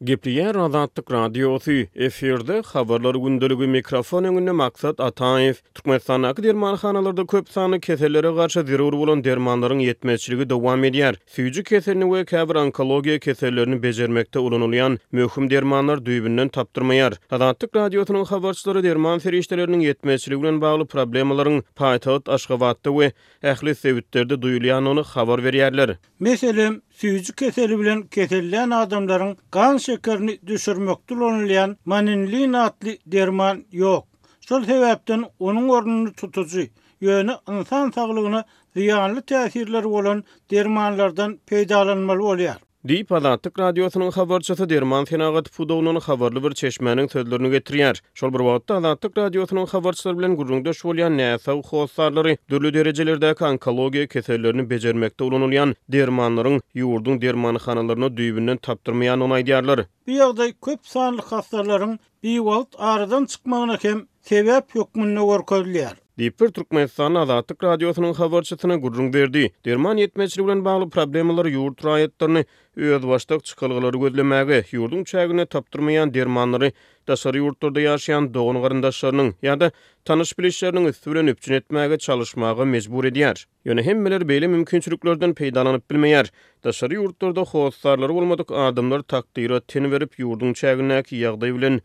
Gepleýär Azatlyk Radiosy, efirde Habarlar gündeligi, mikrofon öňünde Maksat Ataýew. Türkmenistandaky dermanhanalarda köp sanly kesellere garşy zerur bolan dermanlaryň ýetmezçiligi dowam edýär. Süýji keselini we käbir onkologiýa kesellerini bejermekde ulanylýan möhüm dermanlar düýbünden tapdyrmaýar. Azatlyk Radiosynyň habarçylary derman serişdeleriniň ýetmezçiligi bilen bagly problemalaryň paýtagt Aşgabatda we ähli sebitlerde duýulýandygyny habar berýärler. Meselem, süýji keseli bilen kesellän adamlaryň gan şekerini düşürmekde ulanylýan Maninlin atly derman ýok. Şol sebäpden onuň ornuny tutujy, ýöne ynsan saglygyna zyýanly täsirleri bolan dermanlardan peýdalanmaly bolýar. Diýip, Azatlyk Radiosynyň habarçysy derman senagaty pudagyndan habarly bir çeşmäniň sözlerini getirýär. Şol bir wagtda, Azatlyk Radiosynyň habarçylary bilen gürrüňdeş bolýan näsag hossarlary dürli derejelerdäki onkologiýa kesellerini bejermekde ulanylýan dermanlaryň ýurduň dermanhanalarynda düýbünden tapdyrmaýandygyny aýdýarlar. Bu ýagdaý köp sanly hassalaryň biwagt aradan çykmagyna hem sebäp hökmünde görkezilýär. Diýip, bir türkmenistanly Azatlyk Radiosynyň habarçysyna gürrüň berdi. Derman ýetmezçiligi bilen bagly problemalar ýurt raýatlaryny özbaşdak çykalgalary gözlemäge, ýurduň çäginde tapdyrmaýan dermanlary daşary ýurtlarda ýaşaýan dogan-garyndaşlarynyň ýa-da tanyş-bilişleriniň üsti bilen üpjün etmäge çalyşmaga mejbur edýär. Ýöne hemmeler beýle mümkinçiliklerden peýdalanyp bilmeýär. Daşary ýurtlarda hossarlary bolmadyk adamlar takdyra ten berip, ýurduň çägindäki ýagdaý bilen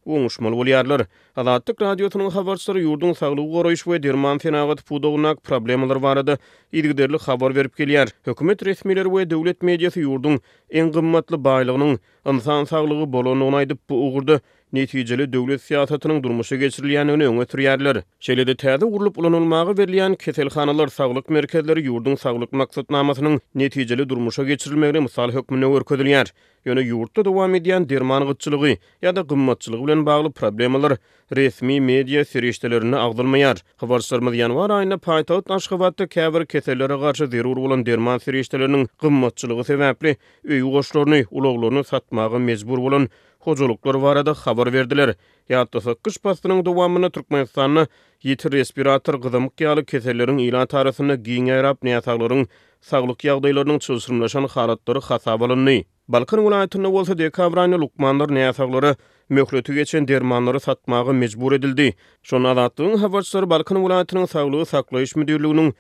oňuşmaly bolýarlar. Azatlyk Radiosynyň habarçylary ýurduň saglygy goraýyş we derman senagaty pudagyndaky problemalar barada yzygiderli habar berip gelýär. Hökümet resmileri we döwlet mediasy ýurduň iň gymmatly baýlygynyň ynsan saglygy bolandygyny aýdyp, bu ugurda netijeli döwlet syýasatynyň durmuşa geçirilýändigini öňe sürýärler. Şeýle-de täze gurlup ulanylmaga berilýän keselhanalar, saglyk merkezleri ýurduň saglyk maksatnamasynyň netijeli durmuşa geçirilmegine mysal hökmünde görkezilýär. Ýöne ýurtda dowam edýän derman gytçylygy ýa-da gymmatçylygy bilen bagly problemalar resmi media serişdelerinde agzalmaýar. Habarçylarymyz ýanwar aýynda paýtagt Aşgabatda käbir kesellere garşy zerur bolan derman serişdeleriniň gymmatçylygy sebäpli öý goşlaryny, ulaglaryny satmaga mejbur bolan hojalyklar barada habar berdiler. Ýatlasak, gyş paslynyň dowamynda Türkmenistanda ýiti respirator gyzamyk ýaly keselleriň ilat arasynda giň ýaýrap, näsaglaryň saglyk ýagdaýlarynyň çylşyrymlaşan halatlary hasaba alyndy. Balkan welaýatynda bolsa dekabr aýynda lukmanlar näsaglara möhleti geçen dermanlary satmaga mejbur edildi. Şonda Azatlygyň habarçylary Balkan welaýatynyň Saglygy saklaýyş müdirliginiň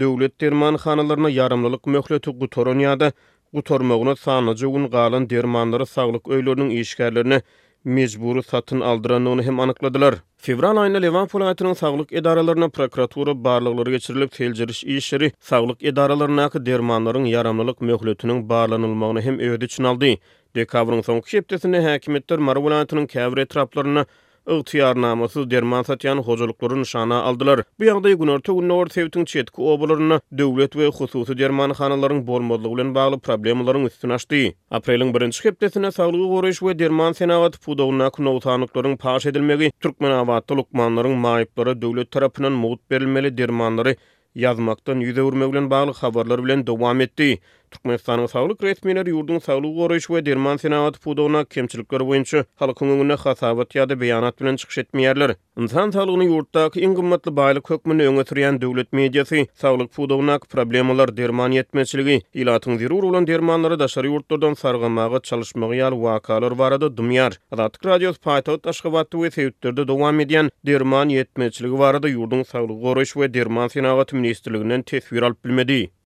döwlet dermanhanalarynda ýaramlylyk möhleti gutaran ýa-da gutarmagyna sanlyja gün galan dermanlary saglyk öýleriniň işgärlerine mejbury satyn aldyrandygyny hem anykladylar. Fewral aýynda Lebap welaýatynyň saglyk edaralarynda prokuratura barlaglary geçirilip, seljeriş işleri saglyk edaralaryndaky dermanlaryň ýaramlylyk möhletiniň barlanylmagyny hem öz içine aldy. Dekabryň soňky hepdesinde häkimiýetler Mary welaýatynyň käbir etraplarynda ygtyýarnamasyz derman satýan hojalyklary nyşana aldylar. Bu ýagdaý günorta-gündogar sebitiň çetki obalarynda döwlet we hususy dermanhanalaryň bolmazlygy bilen bagly problemalaryň üstüni açdy. Apreliň birinji hepdesinde saglygy goraýyş we derman senagaty pudagyndaky nogsanlyklaryň paş edilmegi Türkmenabatda lukmanlaryň maýyplara döwlet tarapyndan mugt berilmeli dermanlary ýazmakdan ýüz öwürmegi bilen bagly habarlar bilen dowam etdi. Türkmenistanyň saglyk resmileri ýurduň saglygy goraýyş we derman senagaty pudagyndaky kemçilikler boýunça halkyň öňünde hasabat ýa-da beýanat bilen çykyş etmeýärler. Ynsan saglygyny ýurtdaky iň gymmatly baýlyk hökmünde öňe sürýän döwlet mediasy saglyk pudagyndaky problemalar, derman ýetmezçiligi, ilatyň zerur bolan dermanlary daşary ýurtlardan sargamaga çalyşmagy ýaly wakalar barada dymýar. Azatlyk Radiosy paýtagt Aşgabatda we sebitlerde dowam edýän derman ýetmezçiligi barada ýurduň Saglygy goraýyş we derman senagaty ministrliginden teswir alyp bilmedi.